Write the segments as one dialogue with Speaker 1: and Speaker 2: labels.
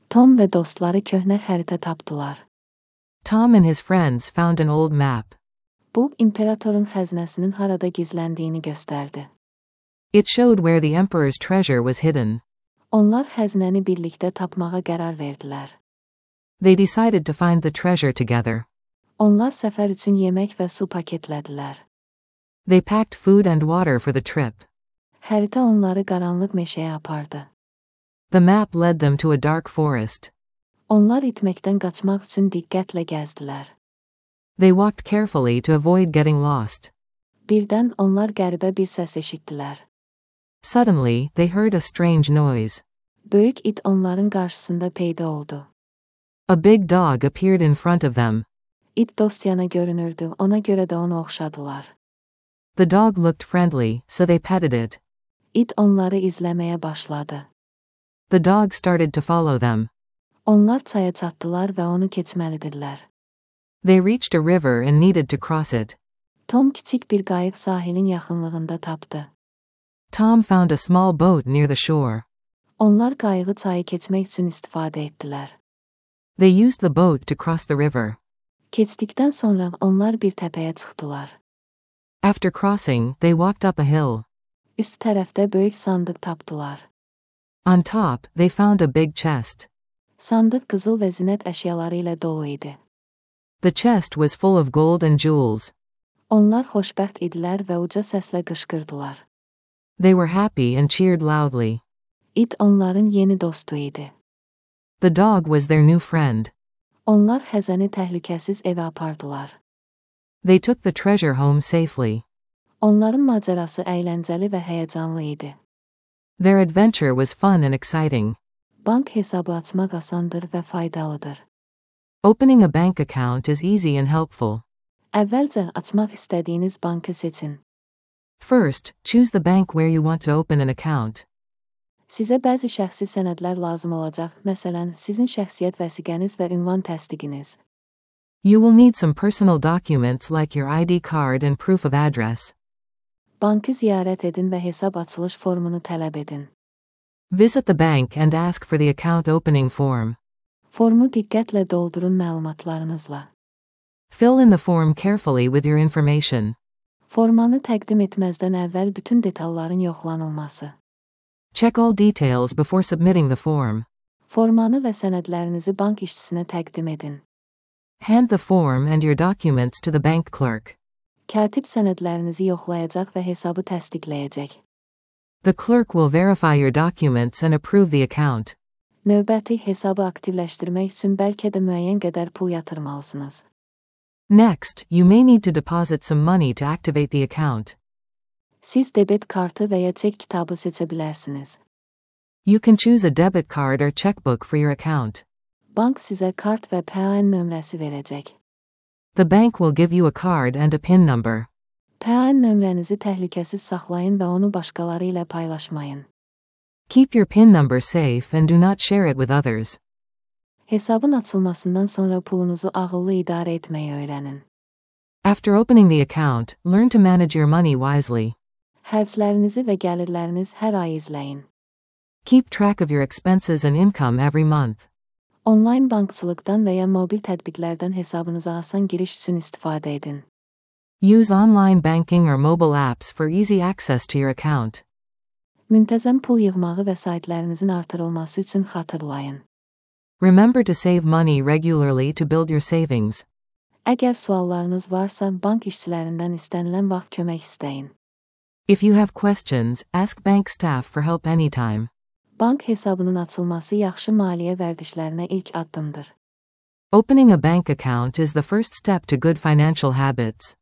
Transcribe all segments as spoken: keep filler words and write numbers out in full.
Speaker 1: Tom ve dostları köhnə xəritə tapdılar.
Speaker 2: Tom and his friends found an old map.
Speaker 1: Bu, imperatorun xəzinəsinin harada gizləndiyini göstərdi.
Speaker 2: It showed where the emperor's treasure was hidden.
Speaker 1: Onlar xəzinəni birlikdə tapmağa qərar verdilər.
Speaker 2: They decided to find the treasure together.
Speaker 1: Onlar səfər üçün yemək və su paketlədilər.
Speaker 2: They packed food and water for the trip.
Speaker 1: Xəritə onları qaranlıq meşəyə apardı.
Speaker 2: The map led them to a dark forest.
Speaker 1: Onlar itməkdən qaçmaq üçün diqqətlə gəzdilər.
Speaker 2: They walked carefully to avoid getting lost.
Speaker 1: Birdən onlar qəribə bir səs eşitdilər.
Speaker 2: Suddenly, they heard a strange noise.
Speaker 1: Böyük it onların qarşısında peyda oldu.
Speaker 2: A big dog appeared in front of them.
Speaker 1: İt dostyana görünürdü, ona görə də onu oxşadılar.
Speaker 2: The dog looked friendly, so they petted it.
Speaker 1: İt onları izləməyə başladı.
Speaker 2: The dog started to follow them.
Speaker 1: Onlar çaya çatdılar və onu keçməlidirlər.
Speaker 2: They reached a river and needed to cross it.
Speaker 1: Tom kiçik bir qayıq sahilin yaxınlığında tapdı.
Speaker 2: Tom found a small boat near the shore.
Speaker 1: Onlar qayığı çayı keçmək üçün istifadə etdilər.
Speaker 2: They used the boat to cross the river.
Speaker 1: Keçdikdən sonra onlar bir təpəyə çıxdılar.
Speaker 2: After crossing, they walked up a hill.
Speaker 1: Üst tərəfdə böyük sandıq tapdılar.
Speaker 2: On top, they found a big chest.
Speaker 1: Sandıq qızıl və zinət əşyaları ilə dolu idi.
Speaker 2: The chest was full of gold and jewels.
Speaker 1: Onlar xoşbəxt idilər və uca səslə qışqırdılar.
Speaker 2: They were happy and cheered loudly.
Speaker 1: İt onların yeni dostu idi.
Speaker 2: The dog was their new friend.
Speaker 1: Onlar xəzəni təhlükəsiz evə apardılar.
Speaker 2: They took the treasure home safely.
Speaker 1: Onların macərası əyləncəli və həyəcanlı idi.
Speaker 2: Their adventure was fun and exciting.
Speaker 1: Bank hesabı açmaq asandır və faydalıdır.
Speaker 2: Opening a bank account is easy and helpful.
Speaker 1: Əvvəlcə açmaq istədiyiniz bankı seçin.
Speaker 2: First, choose the bank where you want to open an account.
Speaker 1: Sizə bəzi şəxsi sənədlər lazım olacaq, məsələn, sizin şəxsiyyət vəsiqəniz və ünvan təsdiqiniz.
Speaker 2: You will need some personal documents like your I D card and proof of address.
Speaker 1: Bankı ziyarət edin və hesab açılış formunu tələb edin.
Speaker 2: Visit the bank and ask for the account opening form.
Speaker 1: Formu diqqətlə doldurun məlumatlarınızla.
Speaker 2: Fill in the form carefully with your information.
Speaker 1: Formanı təqdim etməzdən əvvəl bütün detalların yoxlanılması.
Speaker 2: Check all details before submitting the form.
Speaker 1: Formanı və sənədlərinizi bank işçisinə təqdim edin.
Speaker 2: Hand the form and your documents to the bank clerk.
Speaker 1: Katib sənədlərinizi yoxlayacaq və hesabı təsdiqləyəcək.
Speaker 2: The clerk will verify your documents and approve the account.
Speaker 1: Növbəti hesabı aktivləşdirmək üçün bəlkə də müəyyən qədər pul yatırmalısınız.
Speaker 2: Next, you may need to deposit some money to activate the account.
Speaker 1: Siz debet kartı və ya çek kitabı seçə bilərsiniz.
Speaker 2: You can choose a debit card or checkbook for your account.
Speaker 1: Bank sizə kart və P A N nömrəsi verəcək.
Speaker 2: The bank will give you a card and a PIN number.
Speaker 1: P A N nömrənizi təhlükəsiz saxlayın və onu başqaları ilə paylaşmayın.
Speaker 2: Keep your PIN number safe and do not share it with others.
Speaker 1: Hesabın açılmasından sonra pulunuzu ağıllı idarə etməyi öyrənin.
Speaker 2: After opening the account, learn to manage your money wisely.
Speaker 1: Xərclərinizi və gəlirləriniz hər ay izləyin.
Speaker 2: Keep track of your expenses and income every month.
Speaker 1: Onlayn bankçılıqdan və ya mobil tətbiqlərdən hesabınıza asan giriş üçün istifadə edin.
Speaker 2: Use online banking or mobile apps for easy access to your account.
Speaker 1: Müntəzəm pul yığmağı vəsaitlərinizin artırılması üçün xatırlayın.
Speaker 2: Remember to save money regularly to build your savings.
Speaker 1: Əgər suallarınız varsa, bank işçilərindən istənilən vaxt kömək istəyin.
Speaker 2: If you have questions, ask bank staff for help anytime.
Speaker 1: Bank hesabının açılması yaxşı maliyyə vərdişlərinə ilk addımdır.
Speaker 2: Opening a bank account is the first step to good financial habits.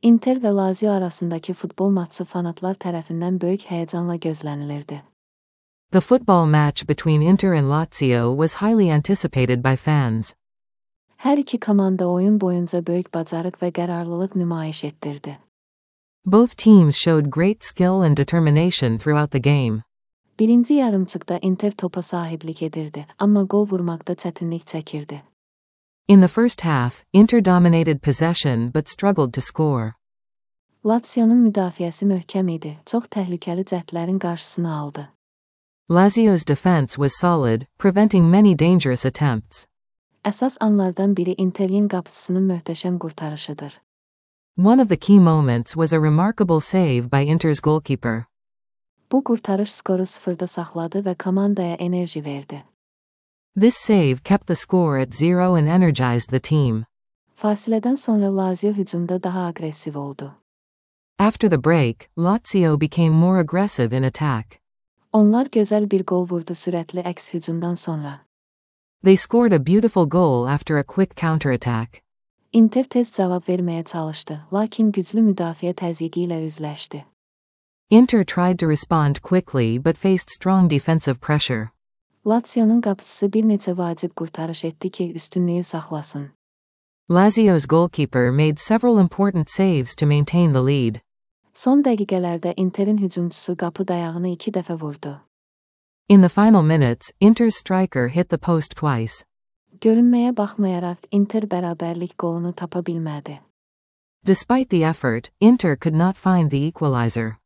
Speaker 1: Inter və Lazio arasındakı futbol matçı fanatlar tərəfindən böyük həyəcanla gözlənilirdi.
Speaker 2: The football match between Inter and Lazio was highly anticipated by fans.
Speaker 1: Hər iki komanda oyun boyunca böyük bacarıq və qərarlılıq nümayiş etdirdi.
Speaker 2: Both teams showed great skill and determination throughout the game.
Speaker 1: Birinci yarımçıqda Inter topa sahiblik edirdi, amma gol vurmaqda çətinlik çəkirdi.
Speaker 2: In the first half, Inter dominated possession but struggled to score.
Speaker 1: Lazio'nun müdafiəsi möhkəm idi, çox təhlükəli cəhdlərin qarşısını aldı.
Speaker 2: Lazio's defense was solid, preventing many dangerous attempts.
Speaker 1: Əsas anlardan biri Interin qapıcısının möhtəşəm qurtarışıdır.
Speaker 2: One of the key moments was a remarkable save by Inter's goalkeeper.
Speaker 1: Bu qurtarış skoru sıfırda saxladı və komandaya enerji verdi.
Speaker 2: This save kept the score at zero and energized the team.
Speaker 1: Fasilədən sonra Lazio hücumda daha aqressiv oldu.
Speaker 2: After the break, Lazio became more aggressive in attack.
Speaker 1: Onlar gözəl bir gol vurdu sürətli əks hücumdan sonra.
Speaker 2: They scored a beautiful goal after a quick counterattack.
Speaker 1: Inter tez cavab verməyə çalışdı, lakin güclü müdafiə təzyiqi ilə üzləşdi.
Speaker 2: Inter tried to respond quickly but faced strong defensive pressure.
Speaker 1: Lazio'nun qapıcısı bir neçə vacib qurtarış etdi ki, üstünlüyü saxlasın.
Speaker 2: Lazio's goalkeeper made several important saves to maintain the lead.
Speaker 1: Son dəqiqələrdə Interin hücumçusu qapı dayağını iki dəfə vurdu.
Speaker 2: In the final minutes, Inter's striker hit the post twice.
Speaker 1: Görünməyə baxmayaraq Inter bərabərlik qolunu tapa bilmədi.
Speaker 2: Despite the effort, Inter could not find the equalizer.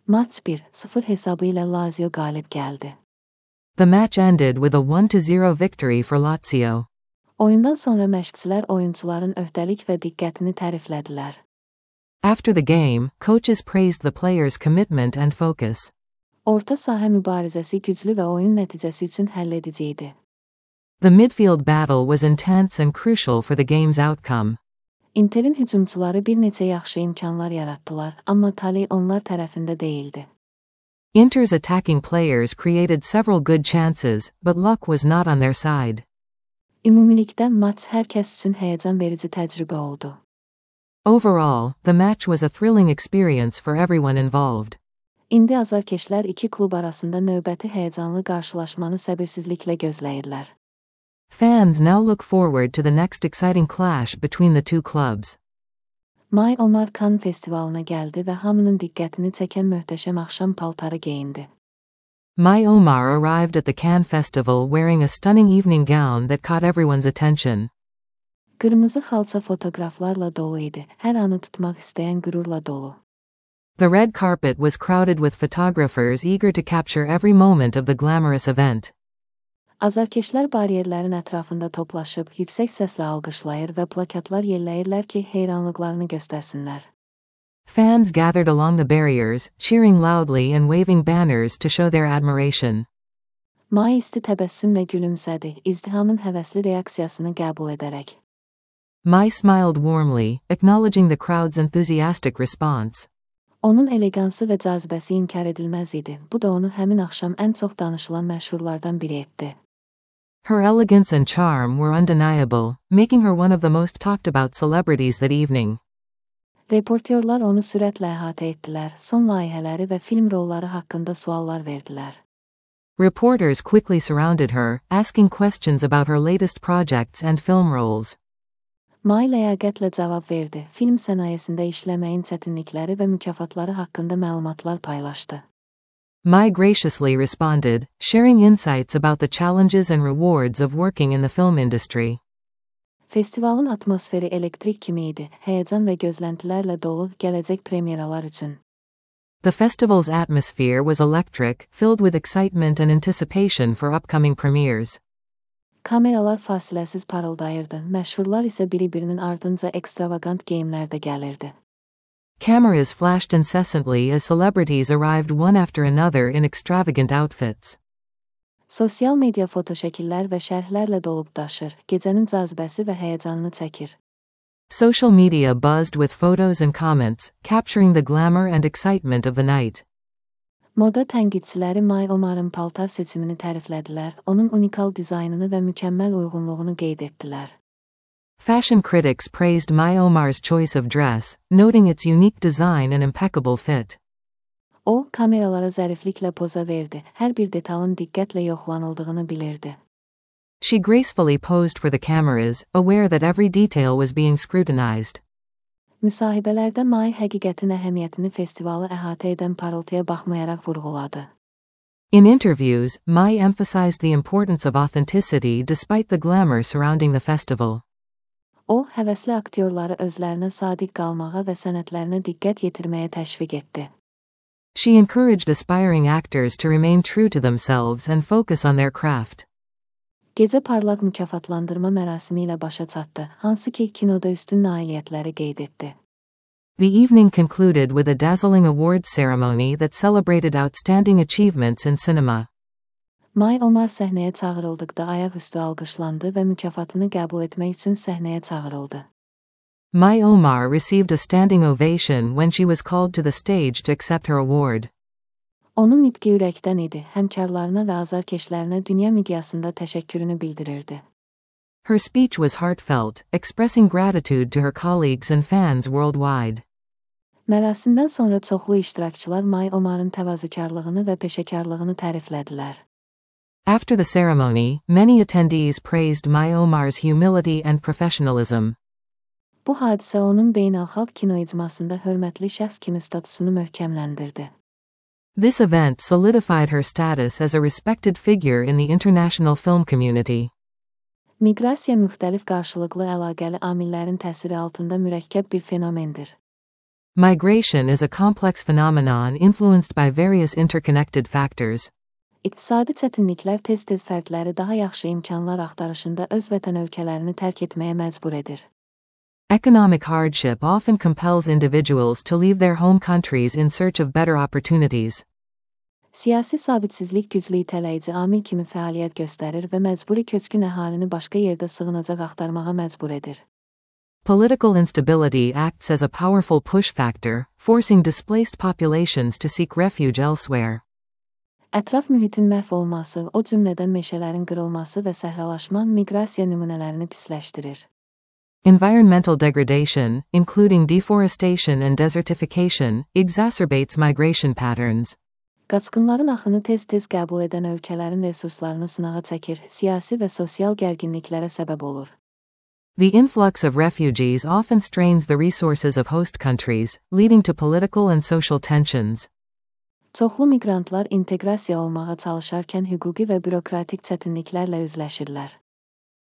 Speaker 1: Maç bir sıfır hesabı ilə Lazio qalib gəldi.
Speaker 2: The match ended with a one to zero victory for Lazio.
Speaker 1: Oyundan sonra məşqçilər oyuncuların öhdəlik və diqqətini təriflədilər.
Speaker 2: After the game, coaches praised the players' commitment and focus.
Speaker 1: Orta sahə mübarizəsi güclü və oyun nəticəsi üçün həlledici idi.
Speaker 2: The midfield battle was intense and crucial for the game's outcome.
Speaker 1: Interin hücumçuları bir neçə yaxşı imkanlar yaratdılar, amma tali onlar tərəfində deyildi.
Speaker 2: Inter's attacking players created several good chances, but luck was not on their side.
Speaker 1: Ümumilikdə maç hər kəs üçün həyəcan verici təcrübə oldu.
Speaker 2: Overall, the match was a thrilling experience for everyone involved.
Speaker 1: İndi azarkeşlər iki klub arasında növbəti həyəcanlı qarşılaşmanı səbirsizliklə gözləyirlər.
Speaker 2: Fans now look forward to the next exciting clash between the two clubs.
Speaker 1: May Omar Cannes festivalına gəldi və hamının diqqətini çəkən möhtəşəm axşam paltarı geyindi.
Speaker 2: May Omar arrived at the Cannes Festival wearing a stunning evening gown that caught everyone's attention.
Speaker 1: Qırmızı xalça fotoqraflarla dolu idi, hər anı tutmaq istəyən qürurla dolu.
Speaker 2: The red carpet was crowded with photographers eager to capture every moment of the glamorous event.
Speaker 1: Azarkeşlər bariyerlərin ətrafında toplaşıb, yüksək səslə alqışlayır və plakatlar yelləyirlər ki, heyranlıqlarını göstərsinlər.
Speaker 2: Fans gathered along the barriers, cheering loudly and waving banners to show their admiration.
Speaker 1: May isti təbəssümlə gülümsədi, izdihamın həvəsli reaksiyasını qəbul edərək.
Speaker 2: May smiled warmly, acknowledging the crowd's enthusiastic response.
Speaker 1: Onun elegansı və cazibəsi inkar edilməz idi. Bu da onu həmin axşam ən çox danışılan məşhurlardan biri etdi.
Speaker 2: Her elegance and charm were undeniable, making her one of the most talked about celebrities that evening.
Speaker 1: Reportyorlar onu sürətlə əhatə etdilər, son layihələri və film rolları haqqında suallar verdilər.
Speaker 2: Reporters quickly surrounded her, asking questions about her latest projects and film roles.
Speaker 1: May ləyaqətlə cavab verdi, film sənayesində işləməyin çətinlikləri və mükafatları haqqında məlumatlar paylaşdı.
Speaker 2: May graciously responded, sharing insights about the challenges and rewards of working in the film industry.
Speaker 1: Festivalın atmosferi elektrik kimi idi, həyəcan və gözləntilərlə dolu gələcək premyeralar üçün.
Speaker 2: The festival's atmosphere was electric, filled with excitement and anticipation for upcoming premieres.
Speaker 1: Kameralar fasiləsiz parıldayırdı, məşhurlar isə biri-birinin ardınca ekstravagant geyimlərdə gəlirdi.
Speaker 2: Cameras flashed incessantly as celebrities arrived one after another in extravagant outfits.
Speaker 1: Sosial media fotoşəkillər və şərhlərlə dolub daşır, gecənin cazibəsi və həyəcanını çəkir.
Speaker 2: Social media buzzed with photos and comments, capturing the glamour and excitement of the night.
Speaker 1: Moda tənqidçiləri May Omar'ın paltar seçimini təriflədilər, onun unikal dizaynını və mükəmməl uyğunluğunu qeyd etdilər.
Speaker 2: Fashion critics praised May Omar's choice of dress, noting its unique design and impeccable fit.
Speaker 1: O, kameralara zərifliklə poza verdi, hər bir detalın diqqətlə yoxlanıldığını bilirdi.
Speaker 2: She gracefully posed for the cameras, aware that every detail was being scrutinized.
Speaker 1: Müsahibələrdə May həqiqətin əhəmiyyətini festivalı əhatə edən parıltıya baxmayaraq vurğuladı.
Speaker 2: In interviews, May emphasized the importance of authenticity despite the glamour surrounding the festival.
Speaker 1: O, həvəsli aktyorları özlərinə sadiq qalmağa və sənətlərinə diqqət yetirməyə təşviq etdi.
Speaker 2: She encouraged aspiring actors to remain true to themselves and focus on their craft.
Speaker 1: Gecə parlaq mükafatlandırma mərasimi ilə başa çatdı, hansı ki kinoda üstün nailiyyətləri qeyd etdi.
Speaker 2: The evening concluded with a dazzling awards ceremony that celebrated outstanding achievements in cinema.
Speaker 1: May Omar səhnəyə çağırıldıqda ayaqüstü alqışlandı və mükafatını qəbul etmək üçün səhnəyə çağırıldı.
Speaker 2: May Omar received a standing ovation when she was called to the stage to accept her award.
Speaker 1: Onun nitqi ürəkdən idi, həmkarlarına və azarkeşlərinə dünya miqyasında təşəkkürünü bildirirdi.
Speaker 2: Her speech was heartfelt, expressing gratitude to her colleagues and fans worldwide.
Speaker 1: Mərasimdən sonra çoxlu iştirakçılar May Omar'ın təvazökarlığını və peşəkarlığını təriflədilər.
Speaker 2: After the ceremony, many attendees praised May Omar's humility and professionalism.
Speaker 1: Bu hadisə onun beynəlxalq kino icmasında hörmətli şəxs kimi statusunu möhkəmləndirdi.
Speaker 2: This event solidified her status as a respected figure in the international film community.
Speaker 1: Miqrasiya müxtəlif qarşılıqlı əlaqəli amillərin təsiri altında mürəkkəb bir fenomendir.
Speaker 2: Migration is a complex phenomenon influenced by various interconnected factors.
Speaker 1: İqtisadi çətinliklər tez-tez fərdləri daha yaxşı imkanlar axtarışında öz vətən ölkələrini tərk etməyə məcbur edir.
Speaker 2: Economic hardship often compels individuals to leave their home countries in search of better opportunities.
Speaker 1: Siyasi sabitsizlik güclü itələyici amil kimi fəaliyyət göstərir və məcburi köçkün əhalini başqa yerdə sığınacaq axtarmağa məcbur edir.
Speaker 2: Political instability acts as a powerful push factor, forcing displaced populations to seek refuge elsewhere.
Speaker 1: Ətraf mühitin məhv olması, o cümlədən meşələrin qırılması və səhralaşma miqrasiya nümunələrini pisləşdirir.
Speaker 2: Environmental degradation, including deforestation and desertification, exacerbates migration patterns.
Speaker 1: Qaçqınların axını tez-tez qəbul edən ölkələrin resurslarını sınağa çəkir, siyasi və sosial gərginliklərə səbəb olur.
Speaker 2: The influx of refugees often strains the resources of host countries, leading to political and social tensions.
Speaker 1: Çoxlu miqrantlar inteqrasiya olmağa çalışarkən hüquqi və bürokratik çətinliklərlə üzləşirlər.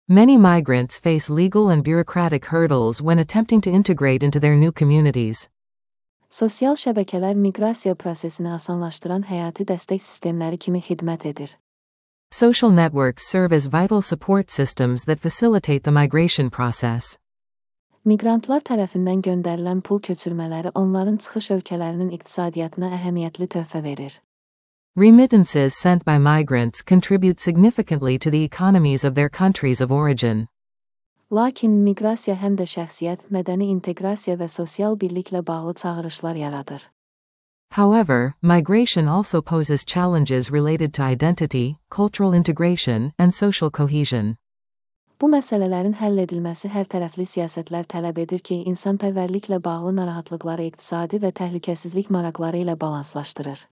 Speaker 2: Many migrants face legal and bureaucratic hurdles when attempting to integrate into their new communities.
Speaker 1: Sosial şəbəkələr miqrasiya prosesini asanlaşdıran həyati dəstək sistemləri kimi xidmət edir.
Speaker 2: Social networks serve as vital support systems that facilitate the migration process.
Speaker 1: Miqrantlar tərəfindən göndərilən pul köçürmələri onların çıxış ölkələrinin iqtisadiyyatına əhəmiyyətli töhfə verir.
Speaker 2: Remittances sent by migrants contribute significantly to the economies of their countries of origin.
Speaker 1: Lakin miqrasiya həm də şəxsiyyət, mədəni inteqrasiya və sosial birliklə bağlı çağırışlar yaradır.
Speaker 2: However, migration also poses challenges related to identity, cultural integration, and social cohesion.
Speaker 1: Bu məsələlərin həll edilməsi hərtərəfli siyasətlər tələb edir ki, insanpərvərliklə bağlı narahatlıqları iqtisadi və təhlükəsizlik maraqları ilə balanslaşdırır.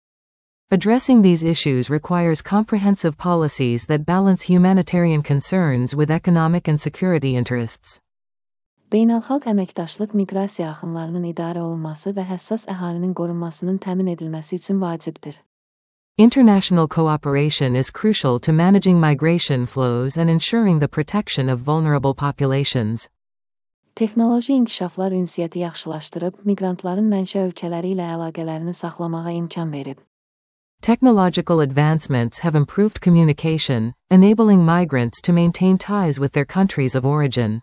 Speaker 2: Addressing these issues requires comprehensive policies that balance humanitarian concerns with economic and security interests.
Speaker 1: Beynəlxalq əməkdaşlıq miqrasiya axınlarının idarə olunması və həssas əhalinin qorunmasının təmin edilməsi üçün vacibdir.
Speaker 2: International cooperation is crucial to managing migration flows and ensuring the protection of vulnerable populations.
Speaker 1: Texnoloji inkişaflar ünsiyyəti yaxşılaşdırıb, miqrantların mənşə ölkələri ilə əlaqələrini saxlamağa imkan verib.
Speaker 2: Technological advancements have improved communication, enabling migrants to maintain ties with their countries of origin.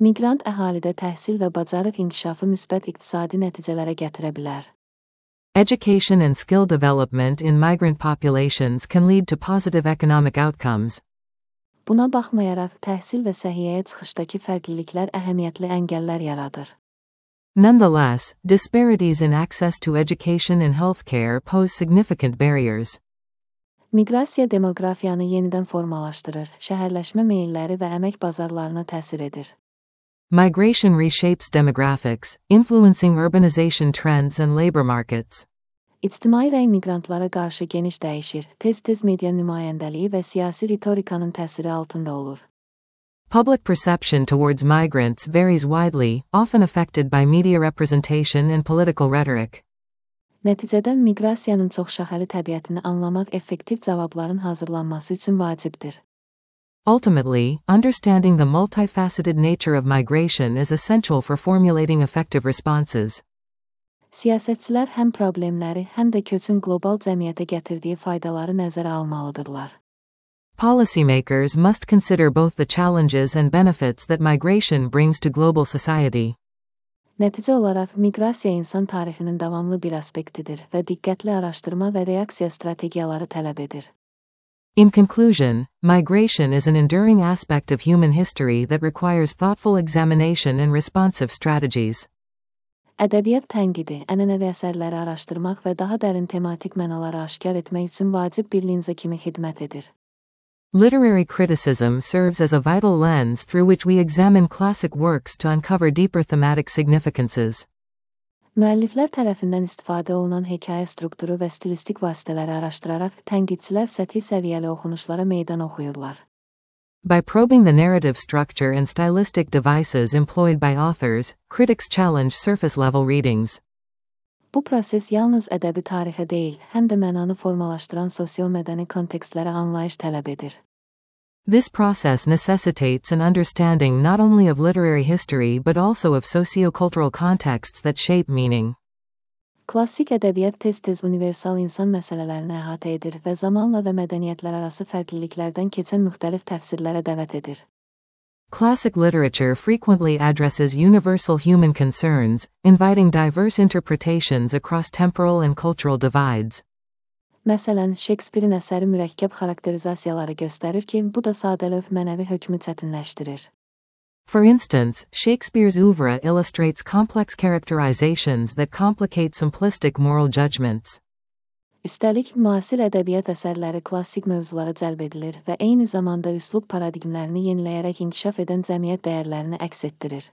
Speaker 1: Miqrant əhalidə təhsil və bacarıq inkişafı müsbət iqtisadi nəticələrə gətirə bilər.
Speaker 2: Education and skill development in migrant populations can lead to positive economic outcomes.
Speaker 1: Buna baxmayaraq, təhsil və səhiyyəyə çıxışdakı fərqliliklər əhəmiyyətli əngəllər yaradır.
Speaker 2: Nonetheless, disparities in access to education and healthcare pose significant barriers.
Speaker 1: Miqrasiya demoqrafiyanı yenidən formalaşdırır, şəhərləşmə meylləri və əmək bazarlarına təsir edir.
Speaker 2: Migration reshapes demographics, influencing urbanization trends and labor markets.
Speaker 1: İctimai rəy miqrantlara qarşı geniş dəyişir, tez-tez media nümayəndəliyi və siyasi ritorikanın təsiri altında olur.
Speaker 2: Public perception towards migrants varies widely, often affected by media representation and political rhetoric.
Speaker 1: Nəticədə miqrasiyanın çoxşaxəli təbiətini anlamaq effektiv cavabların hazırlanması üçün vacibdir.
Speaker 2: Ultimately, understanding the multifaceted nature of migration is essential for formulating effective responses.
Speaker 1: Siyasətçilər həm problemləri, həm də köçün qlobal cəmiyyətə gətirdiyi faydaları nəzərə almalıdırlar.
Speaker 2: Policymakers must consider both the challenges and benefits that migration brings to global society.
Speaker 1: Nəticə olaraq, miqrasiya insan tarixinin davamlı bir aspektidir və diqqətli araşdırma və reaksiya strategiyaları tələb edir.
Speaker 2: In conclusion, migration is an enduring aspect of human history that requires thoughtful examination and responsive strategies.
Speaker 1: Ədəbiyyat tənqidi, ənənəvi əsərləri araşdırmaq və daha dərin tematik mənaları aşkar etmək üçün vacib bir linza kimi xidmət edir.
Speaker 2: Literary criticism serves as a vital lens through which we examine classic works to uncover deeper thematic significances.
Speaker 1: Müəlliflər tərəfindən istifadə olunan hekayə strukturu və stilistik vasitələri araşdıraraq tənqidçilər səthi səviyyəli oxunuşlara meydan oxuyurlar.
Speaker 2: By probing the narrative structure and stylistic devices employed by authors, critics challenge surface-level readings.
Speaker 1: Bu proses yalnız ədəbi tarixə deyil, həm də mənanı formalaşdıran sosio-mədəni kontekstlərə anlayış tələb edir.
Speaker 2: This process necessitates an understanding not only of literary history but also of socio-cultural contexts that shape meaning.
Speaker 1: Klassik ədəbiyyat tez-tez universal insan məsələlərini əhatə edir və zamanla və mədəniyyətlər arası fərqliliklərdən keçən müxtəlif təfsirlərə dəvət edir.
Speaker 2: Classic literature frequently addresses universal human concerns, inviting diverse interpretations across temporal and cultural divides.
Speaker 1: Məsələn, Shakespeare-in əsəri mürəkkəb xarakterizasiyaları göstərir ki, bu da sadəlövh mənəvi hökmü çətinləşdirir.
Speaker 2: For instance, Shakespeare's oeuvre illustrates complex characterizations that complicate simplistic moral judgments.
Speaker 1: Üstəlik, müasir ədəbiyyat əsərləri klassik mövzulara cəlb edilir və eyni zamanda üslub paradigmlərini yeniləyərək inkişaf edən cəmiyyət dəyərlərini əks etdirir.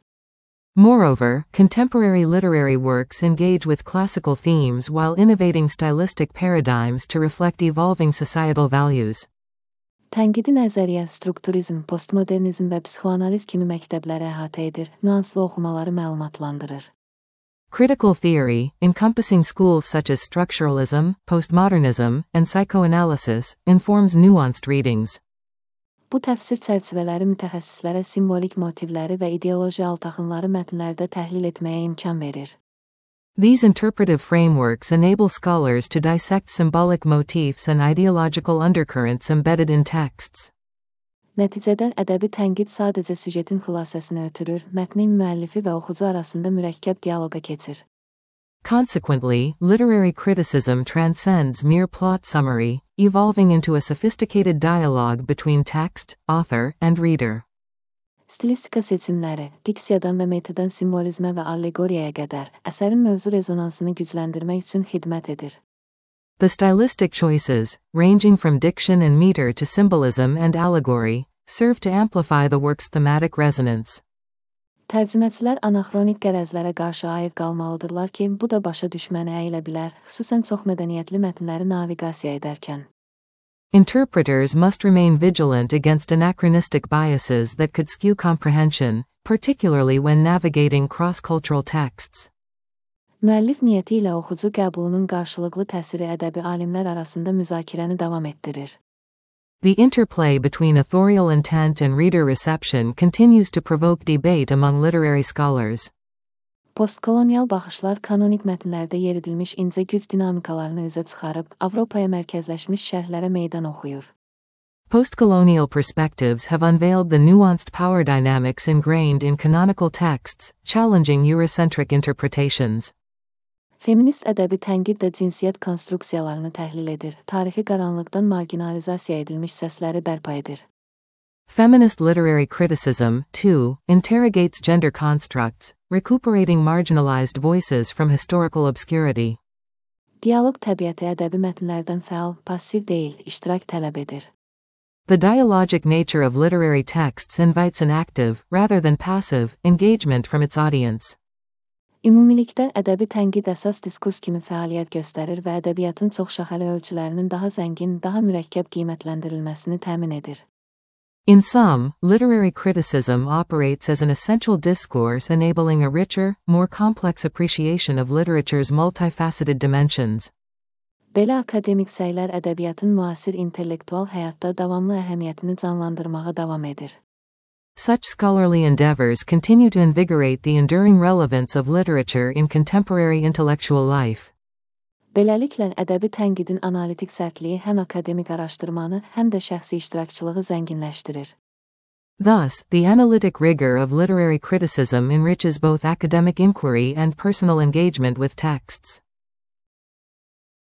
Speaker 2: Moreover, contemporary literary works engage with classical themes while innovating stylistic paradigms to reflect evolving societal values.
Speaker 1: Tənqidi nəzəriyyə, strukturizm, postmodernizm və psixoanaliz kimi məktəbləri əhatə edir, nüanslı oxumaları məlumatlandırır.
Speaker 2: Critical theory, encompassing schools such as structuralism, postmodernism, and psychoanalysis, informs nuanced readings.
Speaker 1: Bu təfsir çərçivələri mütəxəssislərə simvolik motivləri və ideoloji altaxınları mətnlərdə təhlil etməyə imkan verir.
Speaker 2: These interpretive frameworks enable scholars to dissect symbolic motifs and ideological undercurrents embedded in texts.
Speaker 1: Nəticədə ədəbi tənqid sadəcə süjetin xülasəsini ötürür, mətnin müəllifi və oxucu arasında mürəkkəb dialoqa keçir.
Speaker 2: Consequently, literary criticism transcends mere plot summary, evolving into a sophisticated dialogue between text, author, and reader.
Speaker 1: Stilistika seçimləri, diksiyadan və metadan simvolizmə və allegoriyaya qədər, əsərin mövzu rezonansını gücləndirmək üçün xidmət edir.
Speaker 2: The stylistic choices, ranging from diction and meter to symbolism and allegory, serve to amplify the work's thematic resonance.
Speaker 1: Tərcüməçilər anaxronik qərəzlərə qarşı ayıq qalmalıdırlar ki, bu da başa düşməni əyilə bilər, xüsusən çoxmədəniyyətli mətnləri naviqasiya edərkən.
Speaker 2: Interpreters must remain vigilant against anachronistic biases that could skew comprehension, particularly when navigating cross-cultural texts.
Speaker 1: Müəllif niyyəti ilə oxucu qəbulunun qarşılıqlı təsiri ədəbi alimlər arasında müzakirəni davam etdirir.
Speaker 2: The interplay between authorial intent and reader reception continues to provoke debate among literary scholars.
Speaker 1: Postkolonial baxışlar kanonik mətnlərdə yer edilmiş incə güc dinamikalarını üzə çıxarıb, Avropaya mərkəzləşmiş şərhlərə meydan oxuyur.
Speaker 2: Postcolonial perspectives have unveiled the nuanced power dynamics ingrained in canonical texts, challenging Eurocentric interpretations.
Speaker 1: Feminist ədəbi tənqid də cinsiyyət konstruksiyalarını təhlil edir, tarixi qaranlıqdan marginalizasiya edilmiş səsləri bərpa edir.
Speaker 2: Feminist literary criticism, too, interrogates gender constructs, recuperating marginalized voices from historical obscurity.
Speaker 1: Dialoq təbiəti ədəbi mətnlərdən fəal, passiv deyil, iştirak tələb edir.
Speaker 2: The dialogic nature of literary texts invites an active, rather than passive, engagement from its audience.
Speaker 1: Ümumilikdə, ədəbi tənqid əsas diskurs kimi fəaliyyət göstərir və ədəbiyyatın çoxşaxəli ölçülərinin daha zəngin, daha mürəkkəb qiymətləndirilməsini təmin edir.
Speaker 2: In sum, literary criticism operates as an essential discourse enabling a richer, more complex appreciation of literature's multifaceted dimensions.
Speaker 1: Belə akademik səylər ədəbiyyatın müasir intellektual həyatda davamlı əhəmiyyətini canlandırmağa davam edir.
Speaker 2: Such scholarly endeavors continue to invigorate the enduring relevance of literature in contemporary intellectual life.
Speaker 1: Beləliklə, ədəbi tənqidin analitik sərtliyi həm akademik araşdırmanı, həm də şəxsi iştirakçılığı zənginləşdirir.
Speaker 2: Thus, the analytic rigor of literary criticism enriches both academic inquiry and personal engagement with texts.